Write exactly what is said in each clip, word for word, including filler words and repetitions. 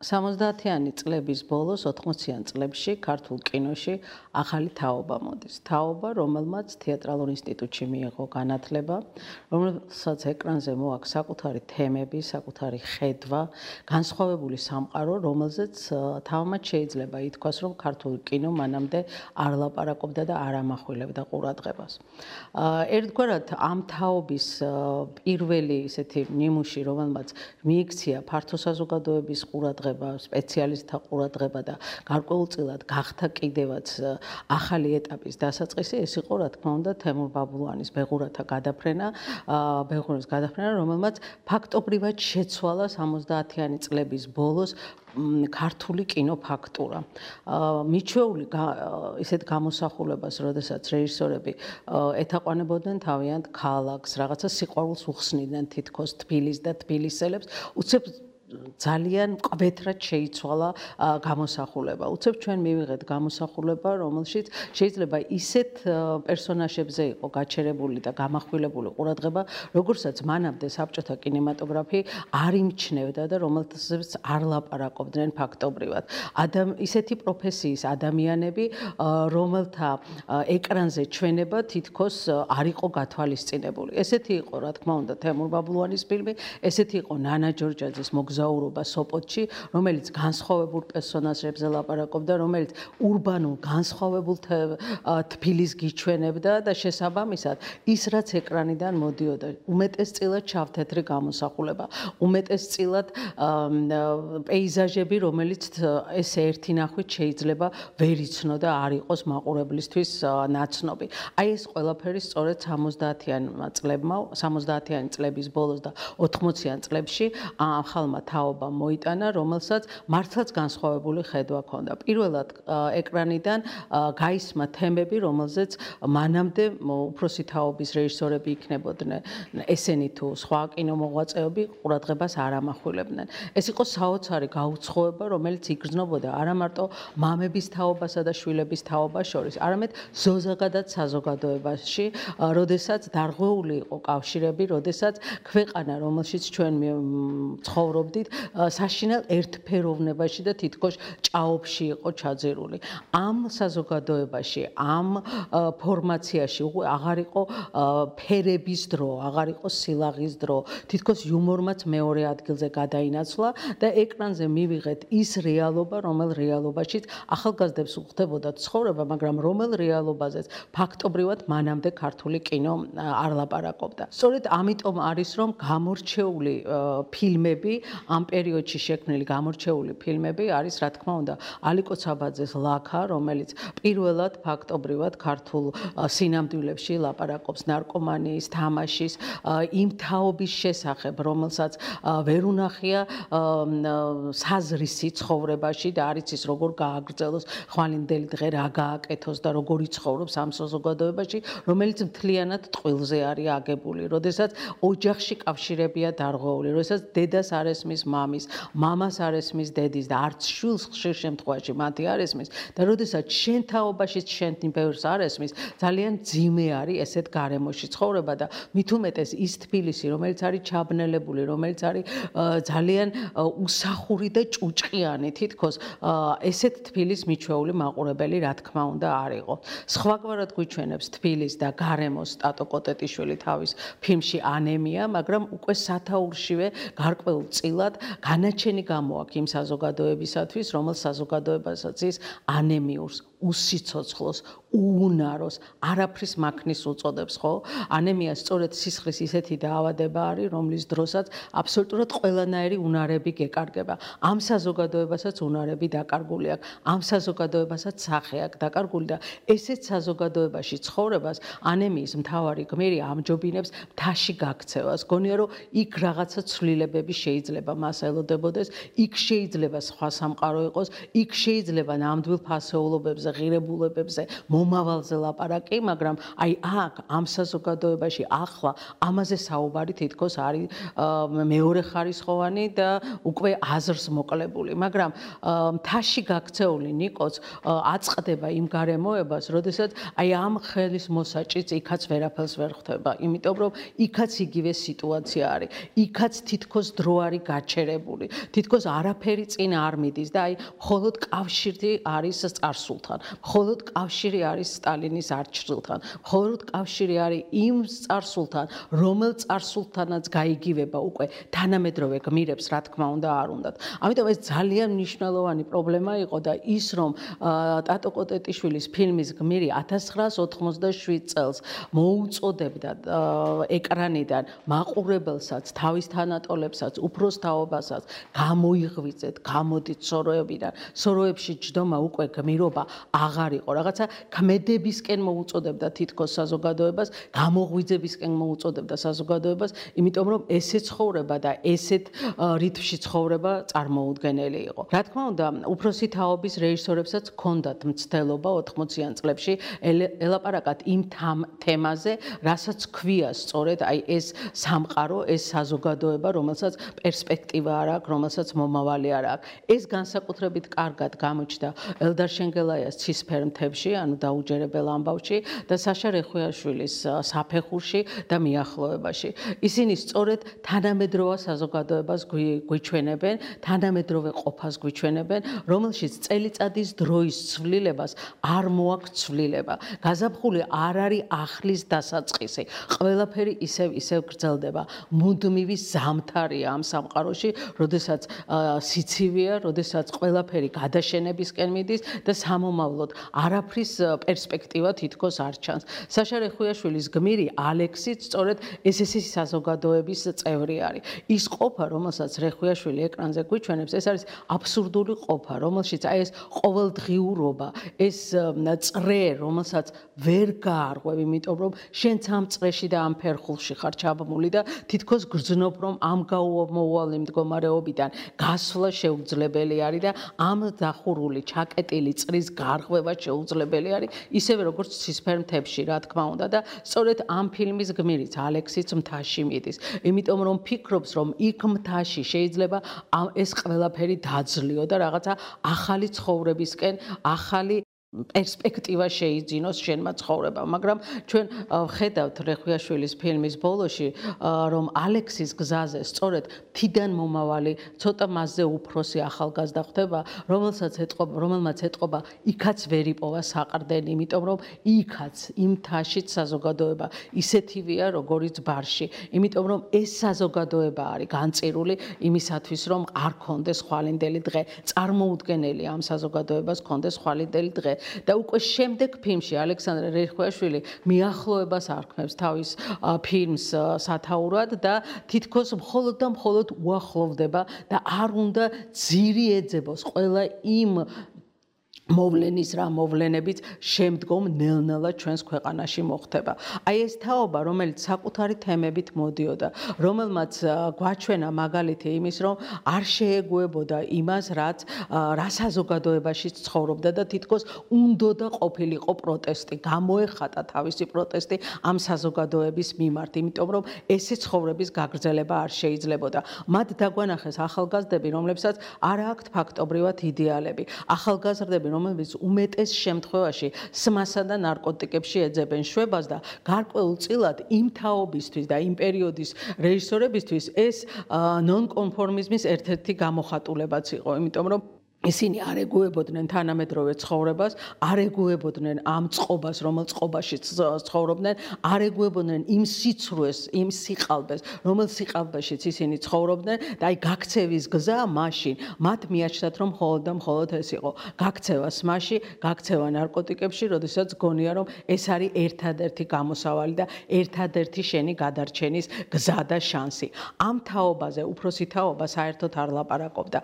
სამოცდაათიანი წლების ბოლოს ოთხმოციან წლებში ქართულ კინოში ახალი თაობა მოდის. თაობა, რომელმაც თეატრალურ ინსტიტუტში მიიღო განათლება, რომელსაც ეკრანზე მოაქვს საკუთარი თემები, საკუთარი ხედვა, განსხვავებული სამყარო, რომელზეც თავმაც შეიძლება ითქვას, რომ ქართული კინო მანამდე არ ლაპარაკობდა და არ ამახვილებდა ყურადღებას. ერთგვარად ამ თაობის პირველი ესეთი ნიმუში, რომელმაც მიიქცია ფართო საზოგადოების ყურადღება, სპეციალისტთა ყურადღება და გარკვეულწილად გახდა კიდევაც ახალი ეტაპის დასაწყისი, ეს იყო რა თქმა უნდა თემურ ბაბულანის ბეღურათა გადაფრენა, ბეღურათა გადაფრენა, რომელმაც ფაქტობრივად შეცვალა სამოცდაათიანი წლების ბოლოს ქართული კინოფაქტურა. მიჩვეული ისეთ გამოსახულებას, როდესაც რეჟისორები ეთაყვანებოდნენ თავიანთ ქალაქს, რაღაცა სიყვარულს უხსნიდნენ თითქოს თბილის და თბილისელებს, უცებ ძალიან მკვეთრად შეიცვალა გამოსახულება. უცებ ჩვენ მივიღეთ გამოსახულება, რომელშიც შეიძლება ისეთ პერსონაჟებზე იყო გაჩერებული და გამახვილებული ყურადღება, როგორცაც მანამდე საბჭოთა კინემატოგრაფი არ იმჩნევდა და რომელთაც არ ლაპარაკობდნენ ფაქტობრივად. ისეთი პროფესიის ადამიანები, რომელთა ეკრანზე ჩვენება თითქოს არ იყო გათვალისწინებული. ესეთი იყო, რა თქმა უნდა, თემურ ბაბულანის ფილმი, ესეთი იყო ნანა ჯორჯაძის მოგზაურობა სოპოტში, რომელიც განსხვავებულ პერსონაჟებზე ლაპარაკობდა, რომელიც ურბანულ განსხვავებულ თბილისს გიჩვენებდა და შესაბამისად ის რაც ეკრანიდან მოდიოდა, უმეტესწილად ჩავთეთრი გამოსახულება, უმეტესწილად პეიზაჟები, რომელიც ესე ერთი ნახვით შეიძლება ვერ იცნოდა არ იყოს მაყურებლისთვის ნაცნობი. აი ეს ყველაფერი სწორედ სამოცდაათიან წლებმა, სამოცდაათიანი წლების ბოლოს და ოთხმოციან წლებში ახალმა თაობა მოიტანა, რომელსაც მართლაც განსხვავებული ხედვა ჰქონდა. პირველად ეკრანიდან გაისმა თემები, რომელზეც მანამდე უფროსი თაობის რეჟისორები იქნებოდნენ, ესენი თუ სხვა კინომოღვაწეები ყურადღებას არ ამახვილებდნენ. ეს იყო საოცარი გაუცხოება, რომელიც იგრძნობოდა არა მარტო მამების თაობასა და შვილების თაობას შორის, არამედ ზოგადად საზოგადოებაში, როდესაც დარღვეული იყო კავშირები, როდესაც ქვეყანა, რომელშიც ჩვენ ცხოვრობდით, საშინელ ერთფეროვნებაში და თითქოს ჭაობში იყო ჩაძირული. ამ საზოგადოებაში, ამ ფორმაციაში აღარ იყო ფერების დრო, აღარ იყო სილაღის დრო, თითქოს იუმორმაც მეორე ადგილზე გადაინაცვლა და ეკრანზე მივიღეთ ის რეალობა, რომელ რეალობაშიც ახალგაზრდებს უხდებოდა ცხოვრება, მაგრამ რომელ რეალობაზეც ფაქტობრივად მანამდე ქართული კინო არ ლაპარაკობდა. სწორედ ამიტომ არის, რომ გამორჩეული ფილმები, ამ პერიოდში შექმნილი გამორჩეული ფილმები არის, რა თქმა უნდა, ალიკო ცაბაძეს ლაქა, რომელიც პირველად ფაქტობრივად ქართულ სინამდვილეში ლაპარაკობს ნარკომანიის, თამაშის, იმ თაობის შესახებ, რომელსაც ვერ უნახია საზრისი ცხოვრებაში და არ იცის როგორ გააგრძელოს ხვალინდელი დღე, რა გააკეთოს და როგორ იცხოვრობს ამ საზოგადოებაში, რომელიც მთლიანად ტყილზე არის აგებული, როდესაც ოჯახში კავშირებია დარღვეული, როდესაც დედას არ ესმის მამის, მამას არ ესმის დედის და არც შვილს ხშირ შემთხვევაში მათი არ ესმის და როდესაც შენ თაობაშიც შენ ბევრს არ ესმის, ძალიან ძიმე არის ესეთ გარემოში ცხოვრება და მით უმეტეს ის თბილისი, რომელიც არის ჩაბნელებული, რომელიც არის ძალიან უსახური და ჭუჭყიანი, თითქოს ესეთ თბილის მიჩვეული მაყურებელი რა თქმა უნდა არ იყო. სხვაგვარად გვიჩვენებს თბილის და გარემოს სტატო კოტეტიშვილი თავის ფილმში ანემია, მაგრამ უკვე სათაურშივე გარკვეულწილად განაჩენი გამოაქვს იმ საზოგადოებისათვის, რომელ საზოგადოებასაც ის ანემიურს, უსიცოცხლოს, უუნაროს, არაფრის მაქმნის უწოდებს, ხო? ანემია სწორედ სისხლის ისეთი დაავადება არის, რომლის დროსაც აბსოლუტურად ყველანაირი უნარები გეკარგება. ამ საზოგადოებასაც უნარები დაკარგული აქვს, ამ საზოგადოებასაც სახე აქვს დაკარგული და ესეთ საზოგადოებაში ცხოვრებას ანემიის მთავარი გმირი ამჯობინებს მთაში გაქცევას. გონია რომ იქ რაღაცა ცვლილებები შეიძლება მას ელოდებოდეს, იქ შეიძლება სხვა სამყარო იყოს, იქ შეიძლება ნამდვილ ფასეულობებზე ღირებულებებზე, მომავალზე ლაპარაკი, მაგრამ აი აქ ამ საზოგადოებაში ახლა ამაზე საუბარი თითქოს არის მეორე ხარისხოვანი და უკვე აზრს მოკლებული, მაგრამ მთაში გაქცეული ნიკოც აწყდება იმ გარემოებას, როდესაც აი ამ ხელის მოსაჭიც იქაც ვერაფერს ვერ ხვდება, იმიტომ რომ იქაც იგივე სიტუაცია არის. იქაც თითქოს დრო არის გაჩერებული. თითქოს არაფერი წინ არ მიდის და აი მხოლოდ კავშირი არის წარსულთან. მხოლოდ კავშირი არის სტალინის არჩილთან. მხოლოდ კავშირი არის იმ წარსულთან, რომელ წარსულთანაც გაიგივება უკვე თანამედროვე გმირებს, რა თქმა უნდა, არ უნდათ. ამიტომ ეს ძალიან მნიშვნელოვანი პრობლემა იყო და ის რომ ტატო კოტეტიშვილის ფილმის გმირი ათას ცხრაას ოთხმოცდაშვიდ წელს მოუწოდებდა ეკრანიდან მაყურებელსაც, თავის თანატოლებსაც, უფროს თაობასაც გამოიღვიძეთ, გამოდით სოროებიდან. სოროებში ჯდომა უკვე გმირობა აღარ იყო. რაღაცა ქმედებისკენ მოუწოდებდა თითქოს საზოგადოებას, გამოღვიძებისკენ მოუწოდებდა საზოგადოებას, იმიტომ რომ ესე ცხოვრება და ესეთ რითმში ცხოვრება წარმოუდგენელი იყო. რა თქმა უნდა, უფროსი თაობის რეჟისორებსაც ჰქონდათ მცდელობა ოთხმოციან წლებში ელაპარაკათ იმ თემაზე, რასაც ქვია სწორედ აი ეს სამყარო, ეს საზოგადოება, რომელსაც პერსპექტივა არ აქვს, რომელსაც მომავალი არ აქვს. ეს განსაკუთრებით კარგად გამოჩნდა ელდარ შენგელაიას ცისფერ მთებში, ანუ დაუჯერებელ ამბავში და საშა რეხუიაშვილის საფეხურში და მიახლოებაში. ისინი სწორედ თანამედროვე საზოგადოებას გვიჩვენებენ, თანამედროვე ყოფას გვიჩვენებენ, რომელშიც წელიწადის დროის ცვლილებას არ მოაქვს ცვლილება. გაზაფხული არ არის ახლის დასაწყისი. ყველაფერი ისევ ისევ გრძელდება. მუდმივი ზამთარია ამ სამყაროში, როდესაც სიცივეა, როდესაც ყველაფერი გადაშენებისკენ მიდის და სამომავლოდ არაფრის პერსპექტივა თითქოს არ ჩანს. საშა რეხუიაშვილის გმირი ალექსიც სწორედ ეს-ეს საზოგადოების წევრი არის. ის ყოფა, რომელსაც რეხუიაშვილი ეკრანზე გვიჩვენებს, ეს არის აბსურდული ყოფა, რომელშიც აი ეს ყოველდღიურობა, ეს წრე, რომელსაც ვერ გაარღვევ, იმიტომ რომ შენც ამ წრეში და ამ ფერხულში ხარ ჩაბმული და თითქოს გრძნობ, რომ ამ გაუმოუვალი მდგომარეობიდან გასვლა შეუძლებელი არის და ამ დახურული, ჩაკეტილი წრის გარღვევა შეუძლებელი არის, ისევე როგორც ცისფერ მთებში, რა თქმა უნდა და სწორედ ამ ფილმის გმირიც ალექსიც მთაში მიდის. იმიტომ რომ ფიქრობს, რომ იქ მთაში შეიძლება ეს ყველაფერი დაძლიო და რაღაცა ახალი ცხოვრებისკენ, ახალი პერსპექტივა შეიძინოს შენმა ცხოვრებამ, მაგრამ ჩვენ ვხედავთ რეხუიაშვილის ფილმის ბოლოში, რომ ალექსის გზაზე სწორედ თიდან მომავალი, ცოტა მასზე უფროსი ახალგაზრდა ხდება, რომელსაც ეტყობა, რომელმაც ეტყობა, იქაც ვერ იპოვა საყრდენი, იმიტომ რომ იქაც იმ მთაშიც საზოგადოება ისეთივეა, როგორიც ბარში, იმიტომ რომ ეს საზოგადოება არის განწირული იმისათვის, რომ არ ქონდეს ხვალინდელი დღე, წარმოუდგენელი ამ საზოგადოებას ქონდეს ხვალინდელი დღე. და უკვე შემდეგ ფილმში ალექსანდრე რეხუიაშვილი მიახლოებას არქმევს თავის ფილმს სათაურად და თითქოს მხოლოდ და მხოლოდ უახლოვდება და არ უნდა ძირი ეძებოს ყველა იმ მოვლენის რა მოვლენებიც შემდგომ ნელ-ნელა ჩვენს ქვეყანაში მოხდება. აი ეს თაობა, რომელიც საკუთარი თემებით მოდიოდა, რომელმაც გვაჩვენა მაგალითი იმის, რომ არ შეეგუებოდა იმას, რაც რა საზოგადოებაში ცხოვრობდა და თითქოს უნდოდა ყოფილიყო პროტესტი, გამოეხატა თავისი პროტესტი ამ საზოგადოების მიმართ, იმიტომ რომ ესე ცხოვრების გაგრძელება არ შეიძლებოდა. მათ დაგვანახეს ახალგაზრდები, რომლებსაც არ აქვთ ფაქტობრივად იდეალები. ახალგაზრდები რომელიც უმეტეს შემთხვევაში სმასა და ნარკოტიკებში ეძებენ შვებას და გარკვეულწილად იმ თაობისთვის და იმ პერიოდის რეჟისორებისთვის ეს ნონკონფორმიზმის ერთ-ერთი გამოხატულებაც იყო, იმიტომ რომ ისინი არ ეგუებოდნენ თანამედროვე ცხოვრებას, არ ეგუებოდნენ ამ წყობას, რომელ წყობაში ცხოვრობდნენ, არ ეგუებოდნენ იმ სიცრუეს, იმ სიყალბეს, რომელ სიყალბეშიც ისინი ცხოვრობდნენ და აი გაქცევის გზა მაშინ მათ მიაჩნდათ, რომ მხოლოდ და მხოლოდ ეს იყო. გაქცევა სმაში, გაქცევა ნარკოტიკებში, როდესაც გონია, რომ ეს არის ერთადერთი გამოსავალი და ერთადერთი შენი გადარჩენის გზა და შანსი. ამ თაობაზე უფროსი თაობა საერთოდ არ ლაპარაკობდა.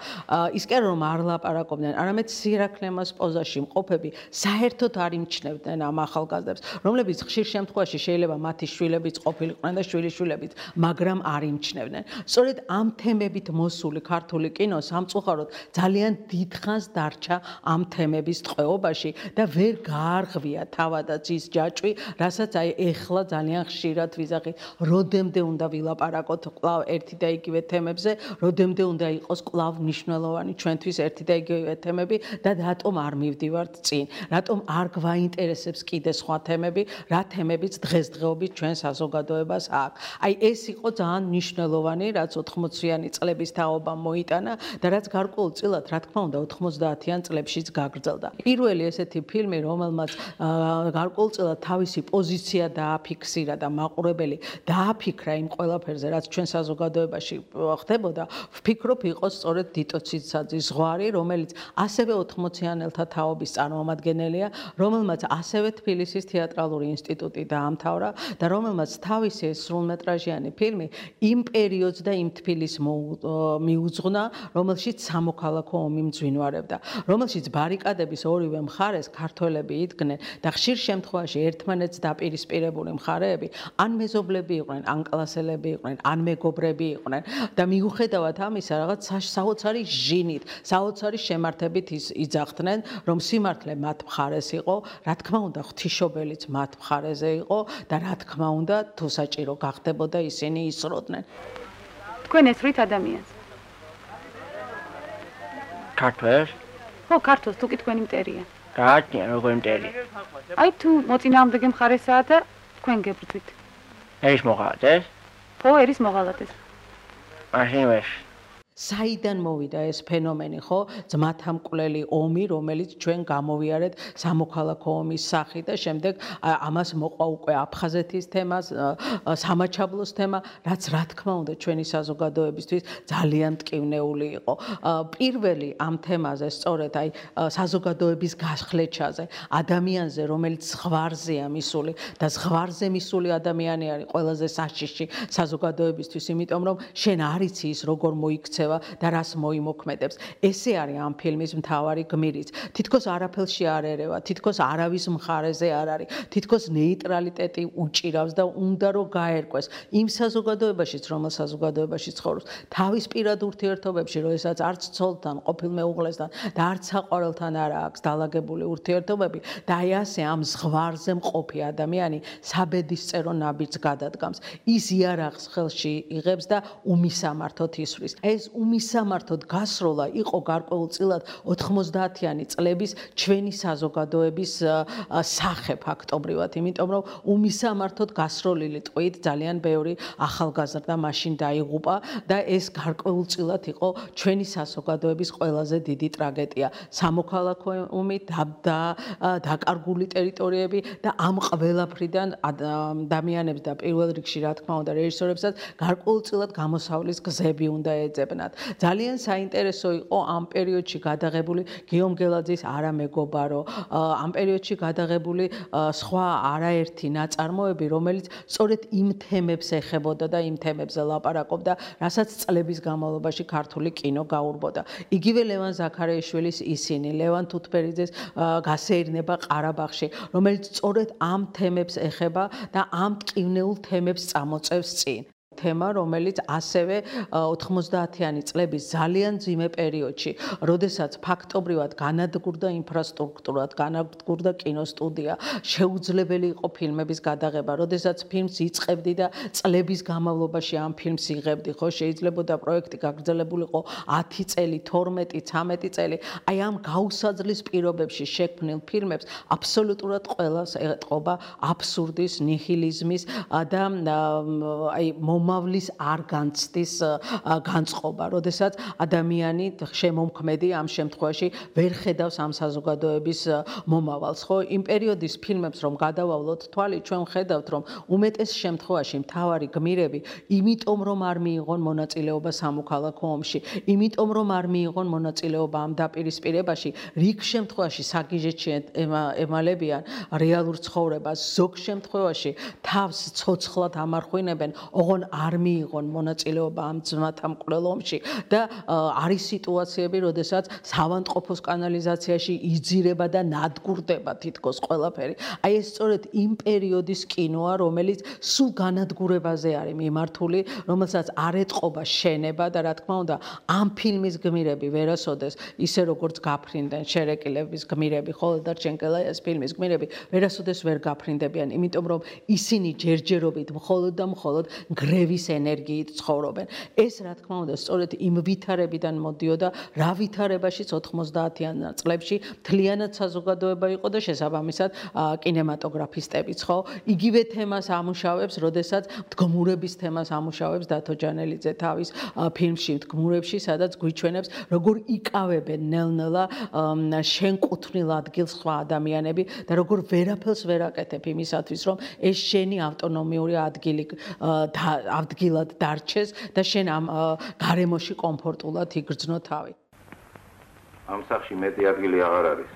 ისკენ რომ არ ლაპარაკობდა ვილაპარაკობდნენ, არამედ სირაქლემას პოზაში მყოფები საერთოდ არ იმჩნევდნენ ამ ახალგაზრდებს, რომლებიც ხშირ შემთხვევაში შეიძლება მათი შვილებიც ყოფილიყვნენ და შვილიშვილებიც, მაგრამ არ იმჩნევდნენ. სწორედ ამ თემებით მოსული ქართული კინო სამწუხაროდ ძალიან დიდხანს დარჩა ამ თემების ტყვეობაში და ვერ გაარღვია თავადაც ის ჯაჭვი, რასაც აი ეხლა ძალიან ხშირად ვიზახით, როდემდე უნდა ვილაპარაკოთ კვლავ ერთი და იგივე თემებზე, როდემდე უნდა იყოს კვლავ მნიშვნელოვანი ჩვენთვის ერთი და იგივე თემები და რატომ არ მივდივართ წინ, რატომ არ გვაინტერესებს კიდე სხვა თემები, რა თემებიც დღესდღეობით ჩვენ საზოგადოებას აქვს. აი ეს იყო ძალიან მნიშვნელოვანი, რაც ოთხმოციანი წლების თაობამ მოიტანა და რაც გარკვეულწილად, რა თქმა უნდა, ოთხმოცდაათიან წლებშიც გაგრძელდა. პირველი ესეთი ფილმი, რომელმაც გარკვეულწილად თავისი პოზიცია დააფიქსირა და მაყურებელი დააფიქრა იმ ყველაფერზე, რაც ჩვენ საზოგადოებაში ხდებოდა, ვფიქრობ, იყო სწორედ დიტო ციცაძის ზღვარი, რომელიც ასევე ოთხმოციანელთა თაობის წარმომადგენელია, რომელმაც ასევე თბილისის თეატრალური ინსტიტუტი დაამთავრა და რომელმაც თავისი სრულმეტრაჟიანი ფილმი იმ პერიოდს და იმ თბილისს მიუძღვნა, რომელშიც სამოქალაქო ომი მძვინვარებდა, რომელშიც ბარიკადების ორივე მხარეს ქართველები იდგნენ და ხშირ შემთხვევაში ერთმანეთს დაპირისპირებული მხარეები ან მეზობლები იყვნენ, ან კლასელები იყვნენ, ან მეგობრები იყვნენ და მიუხედავად ამისა რაღაც საოცარი ჟინით, საოცარი შემართებით იძახდნენ, რომ სიმართლე მათ მხარეს იყო, რა თქმა უნდა, ღვთისმშობელიც მათ მხარეზე იყო და რა თქმა უნდა, თუ საჭირო გახდებოდა ისინი ისროდნენ. თქვენ ესვრით ადამიანს? ქართველს? ხო, ქართულს, თუ კი თქვენი მტერია. გააჩნია როგორი მტერია. აი თუ მოწინააღმდეგე მხარესაა და თქვენ გებრძვით. ერის მოღალატეს? ხო, ერის მოღალატეს. მაშინ ვერ. საიდან მოვიდა ეს ფენომენი, ხო? ძმათა მკვლელი ომი, რომელიც ჩვენ გამოვიარეთ სამოქალაქო ომის სახით და შემდეგ ამას მოყვა უკვე აფხაზეთის თემა, სამაჩაბლოს თემა, რაც რა თქმა უნდა ჩვენი საზოგადოებისთვის ძალიან მტკივნეული იყო. პირველი ამ თემაზე, სწორედ აი საზოგადოების გასხლეჩაზე, ადამიანზე, რომელიც ზღვარზეა მისული და ზღვარზე მისული ადამიანი არის ყველაზე საშიში საზოგადოებისთვის, იმიტომ რომ შენ არ იცი ის როგორ მოიქცევა და რას მოიმოქმედებს. ესე არის ამ ფილმის მთავარი გმირიც. თითქოს არაფერში არ ერევა, თითქოს არავის მხარეზე არ არის, თითქოს ნეიტრალიტეტი უჭირავს და უნდა რომ გაერკვეს იმ საზოგადოებაშიც, რომელ საზოგადოებაში ცხოვრობს. თავის პირად ურთიერთობებში, როდესაც არც ცოლთან, ყოფილ მეუღლესთან და არც საყვარელთან არ აქვს დალაგებული ურთიერთობები და აი ასე ამ ზღვარზე მყოფი ადამიანი საბედისწერო ნაბიჯს გადადგამს. ის იარაღს ხელში იღებს და უმისამართოდ ისვრის. ეს უმისამართოდ გასროლა იყო გარკვეულწილად ოთხმოცდაათიანი წლების ჩვენი საზოგადოების სახე ფაქტობრივად, იმიტომ რომ უმისამართოდ გასროლილი ტყვით ძალიან ბევრი ახალგაზრდა მაშინ დაიღუპა და ეს გარკვეულწილად იყო ჩვენი საზოგადოების ყველაზე დიდი ტრაგედია. სამოქალაქო ომი და დაკარგული ტერიტორიები და ამ ყველაფრიდან ადამიანებს და პირველ რიგში რა თქმა უნდა რეჟისორებსაც გარკვეულწილად გამოსავლის გზები უნდა ეძებნათ. ძალიან საინტერესო იყო ამ პერიოდში გადაღებული გიომ გელაძის არამეგობარო, ამ პერიოდში გადაღებული სხვა არაერთი ნაწარმოები, რომელიც სწორედ იმ თემებს ეხებოდა და იმ თემებზე ლაპარაკობდა, რასაც წლების განმავლობაში ქართული კინო გაურბოდა. იგივე ლევან ზაქარიაშვილის ისინი, ლევან თუთბერიძეს გასეირნება ყარაბაღში, რომელიც სწორედ ამ თემებს ეხება და ამ მტკივნეულ თემებს წამოწევს წინ. თემა, რომელიც ასევე ოთხმოცდაათიანი წლების ძალიან ძიმე პერიოდში, როდესაც ფაქტობრივად განადგურდა ინფრასტრუქტურა, განადგურდა კინოსტუდია, შეუძლებელი იყო ფილმების გადაღება, როდესაც ფილმს იწყებდი და წლების განმავლობაში ამ ფილმს იღებდი, ხო, შეიძლებოდა პროექტი გაგრძელებულიყო ათი წელი, თორმეტი, ცამეტი წელი. აი ამ გაუსაძლის პირობებში შექმნილ ფილმებს აბსოლუტურად ყველას ეტყობა აბსურდის, ნიჰილიზმის და აი მომავლის არ განცდის განწყობა, როდესაც ადამიანი შემომქმედი ამ შემთხვევაში ვერ ხედავს ამ საზოგადოების მომავალს, ხო? იმ პერიოდის ფილმებს რომ გადავავლოთ თვალი, ჩვენ ხედავთ, რომ უმეტეს შემთხვევაში მთავარი გმირები, იმიტომ რომ არ მიიღონ მონაწილეობა სამოქალაქო ომში, იმიტომ რომ არ მიიღონ მონაწილეობა ამ დაპირისპირებაში, რიგ შემთხვევაში საგიჟეთში ემალებიან რეალურ ცხოვრებას, ზოგ შემთხვევაში თავს ცოცხლად ამარხვინებენ, ოღონ არ მიიღონ მონაწილეობა ამ ძმათა მკვლელ ომში და არის სიტუაციები, როდესაც სავანტყოფოს კანალიზაციაში იძირება და ნადგურდება თითქოს ყველაფერი. აი ეს სწორედ იმ პერიოდის კინოა, რომელიც სულ განადგურებაზე არის მიმართული, რომელსაც არ ეტყობა შენება და რა თქმა უნდა, ამ ფილმის გმირები ვერასოდეს ისე როგორც გაფრინდნენ შერეკილების გმირები, ხოლო დარჩენკელა ეს ფილმის გმირები ვერასოდეს ვერ გაფრინდებიან, იმიტომ რომ ისინი ჯერჯერობით მხოლოდ და მხოლოდ გრევის ენერგიით ცხოვრობენ. ეს რა თქმა უნდა სწორედ იმ ვითარებიდან მოდიოდა, რა ვითარებაშიც ოთხმოცდაათიან წლებში მთლიანად საზოგადოება იყო და შესაბამისად კინემატოგრაფისტებიც, ხო? იგივე თემას ამუშავებს, როდესაც მდგომურების თემას ამუშავებს დათო ჯანელიძე თავის ფილმში მდგომურებში, სადაც გვიჩვენებს, როგორ იკავებენ ნელ-ნელა შენკუთვნილ ადგილს სხვა ადამიანები და როგორ ვერაფერს ვერ აკეთებ იმისათვის, რომ ეს შენი ავტონომიური ადგილი ადგილად დარჩეს და შენ ამ გარემოში კომფორტულად იგრძნო თავი. ამ სახში მეტი ადგილი აღარ არის.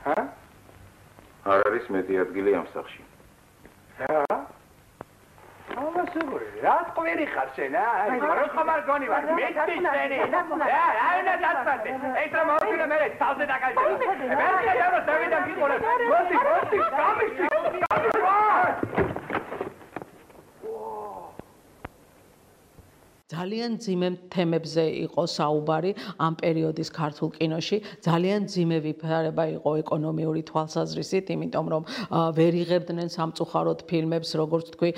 ჰა? არ არის მეტი ადგილი ამ სახში. ჰა? ამასებული, რა ყვირი ხარ შენ, აი, რა ხომარ გონი ვარ, მეტი შენი. რა, აი და დაწვადე. ეს რა მოვიდა მე თავზე დაგაჭირე. მე შეიძლება დავიდან გიყოლე. მოდი, მოდი, გამიში. ძალიან ძიმე თემებზე იყო საუბარი ამ პერიოდის ქართულ კინოში, ძალიან ძიმე ვითარება იყო ეკონომიური თვალსაზრისით, იმიტომ რომ ვერ იღებდნენ სამწუხაროდ ფილმებს, როგორც თქვი,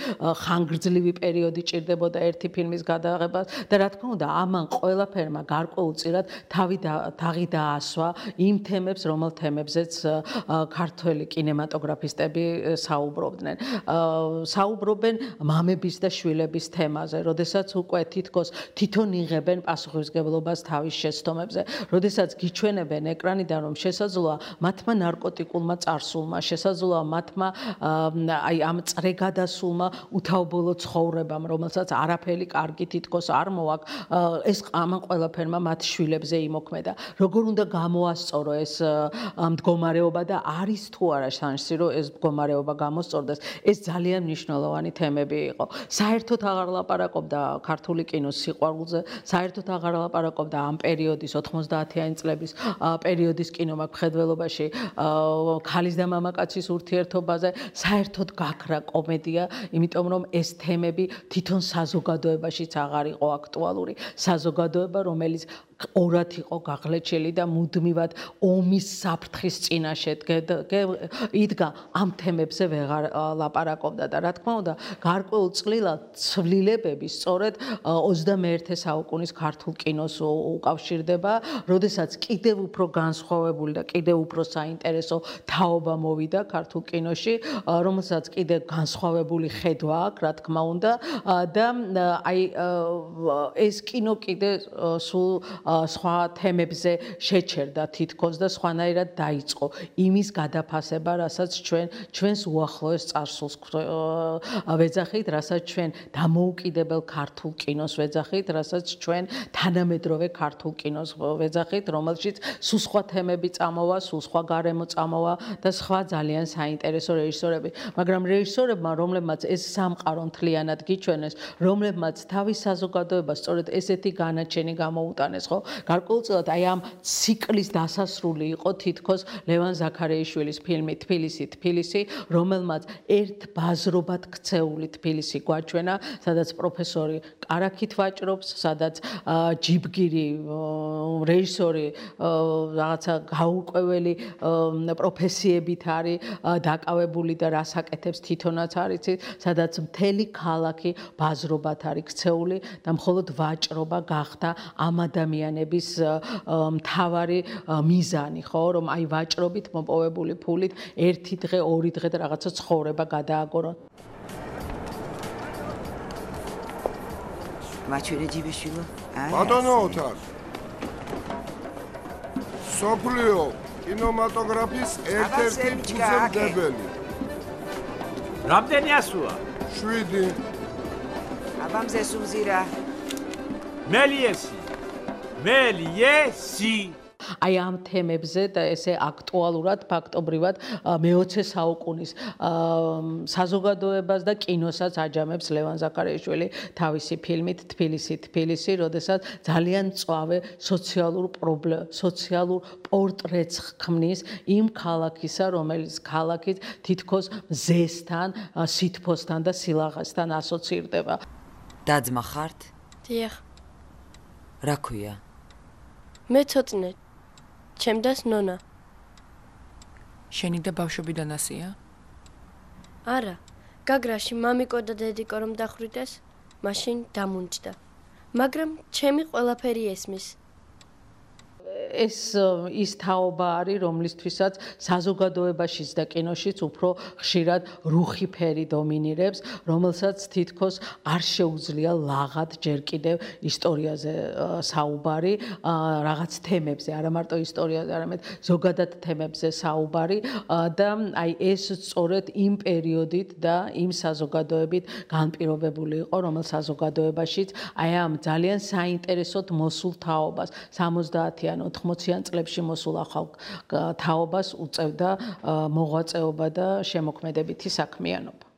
ხანგრძლივი პერიოდი ჭირდებოდა ერთი ფილმის გადაღებას და რა თქმა უნდა, ამან ყველაფერმა გარკვეულწილად თავი თაღი დაასვა იმ თემებს, რომელ თემებზეც ქართველი კინემატოგრაფისტები საუბრობდნენ. საუბრობენ მამების და შვილების თემაზე, როდესაც უკვე თითქოს თვითონ იღებენ პასუხისმგებლობას თავის შეცდომებზე, როდესაც გიჩვენებენ ეკრანიდან, რომ შესაძლოა მათმა ნარკოტიკულმა წარსულმა, შესაძლოა მათმა აი ამ წრეგადასულმა უთავბოლო ცხოვრებამ, რომელსაც არაფერი კარგი თითქოს არ მოაქვს, ეს ამან ყველაფერმა მათ შვილებზე იმოქმედა. როგორ უნდა გამოასწორო ეს მდგომარეობა და არის თუ არა შანსი, რომ ეს მდგომარეობა გამოსწორდეს, ეს ძალიან მნიშვნელოვანი თემები იყო. საერთოდ აღარ ლაპარაკობდა ქართული კინოს სიყვარულზე, საერთოდ აღარ ლაპარაკობდა ამ პერიოდის ოთხმოცდაათიანი წლების პერიოდის კინომაგვხედველობაში ქალის და მამაკაცის ურთიერთობაზე, საერთოდ გაქრა კომედია, იმიტომ რომ ეს თემები თვითონ საზოგადოებაშიც აღარ იყო აქტუალური. საზოგადოება, რომელიც ორად იყო გაღლეჩილი და მუდმივად ომის საფრთხის წინაშე იდგა, ამ თემებზე ვეღარ ლაპარაკობდა და რა თქმა უნდა, გარკვეულწილად ცვლილებები სწორედ ოცდამეერთე საუკუნის ქართულ კინოს უკავშირდება, როდესაც კიდევ უფრო განსხვავებული და კიდევ უფრო საინტერესო თაობა მოვიდა ქართულ კინოში, რომელსაც კიდევ განსხვავებული ხედვა აქვს, რა თქმა უნდა, და აი ეს კინო კიდევ სულ სხვა თემებზე შეჩერდა თითქოს და სხვანაირად დაიწყო იმის გადაფასება, რასაც ჩვენ ჩვენს უახლოეს წარსულს ვეძახით, რასაც ჩვენ დამოუკიდებელ ქართულ კინოს ვეძახით, რასაც ჩვენ თანამედროვე ქართულ კინოს ვეძახით, რომელშიც სულ სხვა თემები წამოვა, სულ სხვა გარემო წამოვა და სხვა ძალიან საინტერესო რეჟისორები, მაგრამ რეჟისორებმა, რომლებმაც ეს სამყარო მთლიანად გიჩვენეს, რომლებმაც თავის საზოგადოებას სწორედ ესეთი განაჩენი გამოუტანეს, ხო? გარკვეულწილად აი ამ ციკლის დასასრული იყო თითქოს ლევან ზაქარიაშვილის ფილმი თბილისი, თბილისი, რომელმაც ერთ ბაზრობად ქცეული თბილისი გვაჩვენა, სადაც პროფესორი კარაქით ვაჭრობს, სადაც ჯიბგირი რეჟისორი რაღაცა გაურკვეველი პროფესიებით არის დაკავებული და რას აკეთებს თვითონაც არ იცით, სადაც მთელი ქალაქი ბაზრობად არის ქცეული და მხოლოდ ვაჭრობა გახდა ამ ადამიანების მთავარი მიზანი, ხო, რომ აი ვაჭრობით მოპოვებული ფულით ერთი დღე, ორი დღე და რაღაცა ცხოვრება გადააგორონ. მაჩვენე ჯიბიშვილო. ბატონო ოთარ. სოფლიო კინემატოგრაფის ერთ-ერთი ფუძემდებელი. რამდენი ასუა? შვიდი. აბამზე სუზირა. მელიესი. მელიესი. აი ამ თემებზე და ესე აქტუალურად ფაქტობრივად მეოცე საუკუნის საზოგადოებას და კინოსაც აჯამებს ლევან ზაქარიაშვილი თავისი ფილმით თბილისი თბილისი, როდესაც ძალიან მწვავე სოციალურ პრობლემ, სოციალურ პორტრეტს ქმნის იმ ქალაქისა, რომელიც ქალაქით თითქოს მზესთან, სითბოსთან და სილაღესთან ასოცირდება. დაძმა ხართ? დიახ. რა ქვია? მე ცოტნე. ჩემდას ნონა. შენი და ბავშვობიდან ასია? არა. გაგრაში მამიკო და დედიკო რომ დახვრიტეს, მაშინ დამუნჯდა. მაგრამ ჩემი ყველაფერი ესმის. ეს ის თაობა არის, რომლისთვისაც საზოგადოებაშიც და კინოშიც უფრო ხშირად რუხი ფერი დომინირებს, რომელსაც თითქოს არ შეუძლია ლაღად ჯერ კიდევ ისტორიაზე საუბარი, რაღაც თემებზე, არა მარტო ისტორიაზე, არამედ ზოგადად თემებზე საუბარი და აი ეს სწორედ იმ პერიოდით და იმ საზოგადოებით განპირობებული იყო, რომელ საზოგადოებაშიც აი ამ ძალიან საინტერესოდ მოსულ თაობას სამოცდაათიან ოთხმოციან წლებში მოსულ ახალ თაობას უწევდა მოღვაწეობა და შემოქმედებითი საქმიანობა.